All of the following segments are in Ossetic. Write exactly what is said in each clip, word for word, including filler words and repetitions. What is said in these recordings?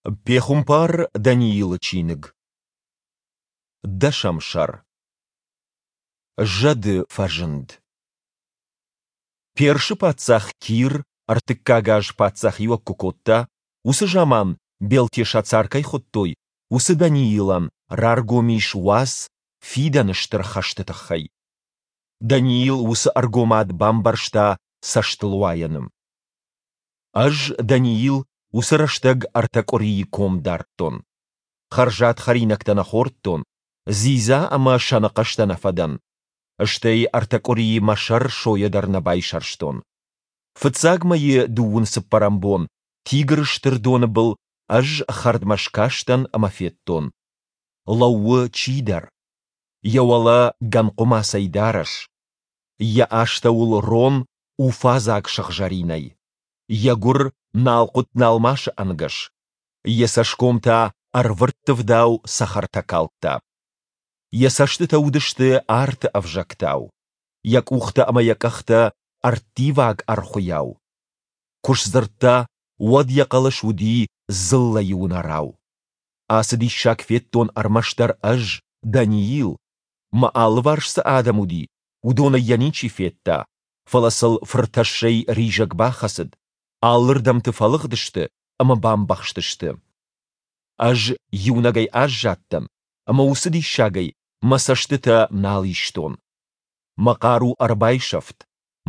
Пехуымпар Даниилы чиныг. Дӕсӕм сӕр. Зӕды фӕзынд. Персы паддзах Кир ӕртыккаг аз паддзахиуӕг куы кодта, уыцы заман, Белтешацар кӕй хуыдтой, уыцы Даниилӕн раргом ис уац фидӕны стыр хӕсты тыххӕй. Даниил уыцы ӕргомад бамбӕрста цӕстылуайӕны. Ӕз, Даниил, уыцы рӕстӕг ӕртӕ къуырийы ком дардтон. Хӕрзад хӕринӕгтӕ нӕ хордтон, дзидза ӕмӕ сӕны хъӕстӕ нӕ фӕдӕн. Стӕй ӕртӕ къуырийы мӕ сӕр сойӕ дӕр нӕ байсӕрстон. Фыццаг мӕйы дыууын цыппӕрӕм бон Тигры стыр доны был ӕз хӕрдмӕ скастӕн ӕмӕ федтон. Лӕууы чидӕр. Йӕ уӕлӕ гӕн хъуымацӕй дарӕс. Йӕ астӕуыл рон уфадзаг сыгъзӕринӕй. Йӕ гуыр налхъуыт-налмасы ӕнгӕс. Йӕ цӕсгом та ӕрвырттывдау цӕхӕртӕ калдта. Йӕ цӕстытӕ уыдысты арты ӕвзӕгтау. Йӕ къухтӕ ӕмӕ йӕ къӕхтӕ ӕрттиваг ӕрхуыйау. Куы сдзырдта, уӕд йӕ хъӕлӕс уыди дзыллӕйы уынӕрау. Ацы диссаг федтон ӕрмӕстдӕр ӕз, Даниил. Мӕ алыварс цы адӕм уыди, уыдонӕй йӕ ничи федта, фӕлӕ сыл фыртӕссӕй ризӕг бахӕцыд, алырдӕмты фӕлыгъдысты ӕмӕ бамбӕхстысты. Ӕз иунӕгӕй аззадтӕн, ӕмӕ уыцы диссагӕй мӕ цӕстытӕ нал истон. Мӕ хъару ӕрбайсӕфт,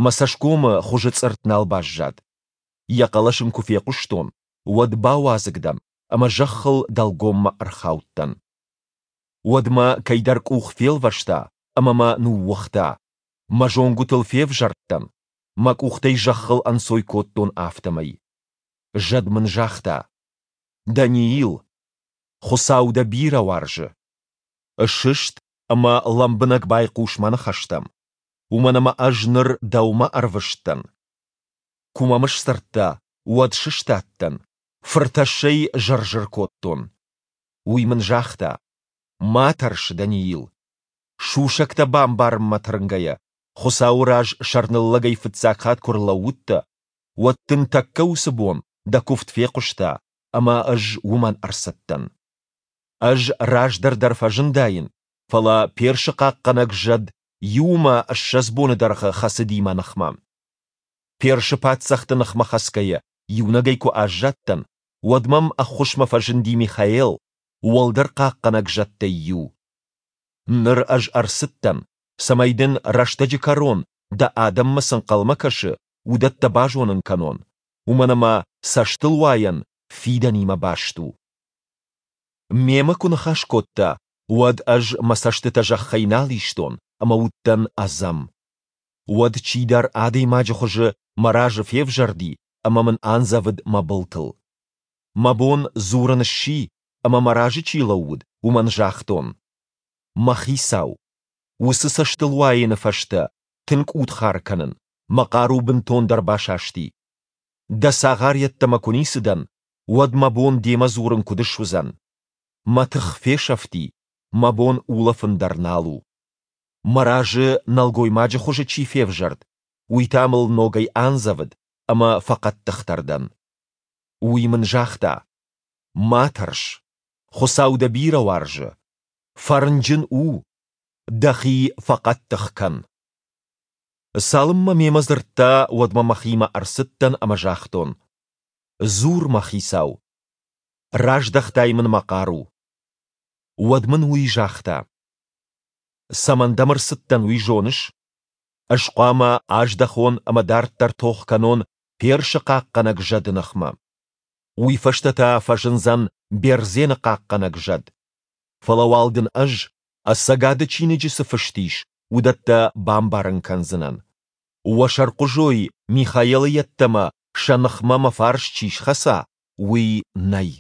мӕ цӕсгомы хуызы цъыртт нал баззад. Йӕ хъӕлӕс ын куы фехъуыстон, уӕд бауадзыг дӕн ӕмӕ зӕххыл дӕлгоммӕ ӕрхаудтӕн. Уӕд мӕ кӕйдӕр къух фелвӕста ӕмӕ мӕ ныууыгъта. Мӕ зонгуытыл февзӕрдтӕн, мӕ къухтӕй зӕххыл ӕнцой кодтон, афтӕмӕй. Зӕд мын загъта: Даниил, Хуыцау дӕ бирӕ уарзы. Сыст ӕмӕ лӕмбынӕг байхъус мӕ ныхӕстӕм, уымӕн ӕмӕ ӕз ныр дӕумӕ ӕрвыст дӕн. Куы мӕм сдзырдта, уӕд сыстадтӕн, фыртӕссӕй зыр-зыр кодтон. Уый мын загъта: Ма тӕрс, Даниил. Сусӕгтӕ бамбарынмӕ тырнгӕйӕ, Хуыцауы раз сӕрныллӕгӕй фыццаг хатт куы рлӕууыдтӕ, уӕд дын тӕккӕ уыцы бон дӕ куывд фехъуыста, ӕмӕ ӕз уымӕн ӕрцыдтӕн. Ӕз раздӕр дӕр фӕзындаин, фӕлӕ Персы хъахъхъӕнӕг зӕд иу ӕмӕ ссӕдз боны дӕргъы хӕцыди мӕ ныхмӕ. Персы паддзӕхты ныхмӕ хӕцгӕйӕ, иунӕгӕй куы аззадтӕн, уӕд мӕм ӕххуысмӕ фӕзынди Михаэл, уӕлдӕр хъахъхъӕнӕг зӕдтӕй иу. Ныр ӕз ӕрцыдтӕн, цӕмӕй дын рӕстӕджы кӕрон дӕ адӕммӕ цы нхъӕлмӕ кӕсы, уыдӕттӕ базонын кӕнон, уымӕн ӕмӕ цӕстылуайӕн фидӕнимӕ баст у. Мемӕ куы ныхас кодта, уӕд ӕз мӕ цӕстытӕ зӕххӕй нал истон ӕмӕ уыдтӕн ӕдзӕм. Уӕд чидӕр адӕймаджы хуызы мӕ разы февзӕрди ӕмӕ мын андзӕвыд мӕ былтыл. Мӕ бон дзурын сси, ӕмӕ мӕ разы чи лӕууыд, уымӕн загътон: Мӕ хицау, уыцы цӕстылуайӕны фӕстӕ тынг удхар кӕнын, мӕ хъару бынтондӕр басасти. Дӕ цагъар йеддӕмӕ куы ницы дӕн, уӕд мӕ бон демӕ дзурын куыд суыдзӕн? Мӕ тых фесӕфти, мӕ бон улӕфын дӕр нал у. Мӕ разы нӕлгоймаджы хуызы чи февзӕрд, уый та мыл ногӕй андзӕвыд, ӕмӕ фӕхъӕддыхдӕр дӕн. Уый мын загъта: Ма тӕрс, Хуыцау дӕ бирӕ уарзы. Фӕрнджын у, дӕхи фӕхъӕддых кӕн. Цалынмӕ мемӕ дзырдта, уӕдмӕ мӕхимӕ ӕрцыдтӕн ӕмӕ загътон: Дзур, мӕ хицау. Раздӕхтай мын мӕ хъару. Уӕд мын уый загъта: Цӕмӕн дӕм ӕрцыдтӕн, уый зоныс? Ӕз хъуамӕ аздӕхон ӕмӕ дарддӕр тох кӕнон Персы хъахъхъӕнӕг зӕды ныхмӕ. Уый фӕстӕ та фӕзындзӕн Бердзены хъахъхъӕнӕг зӕд. Фӕлӕ уал дын ӕз, ӕцӕгады чиныджы цы фыст ис, уыдӕттӕ бамбарын кӕндзынӕн. Уӕ сӕрхъуызой Михаэлы йеддӕмӕ сӕ ныхмӕ мӕ фарс чи схӕца, уый нӕй.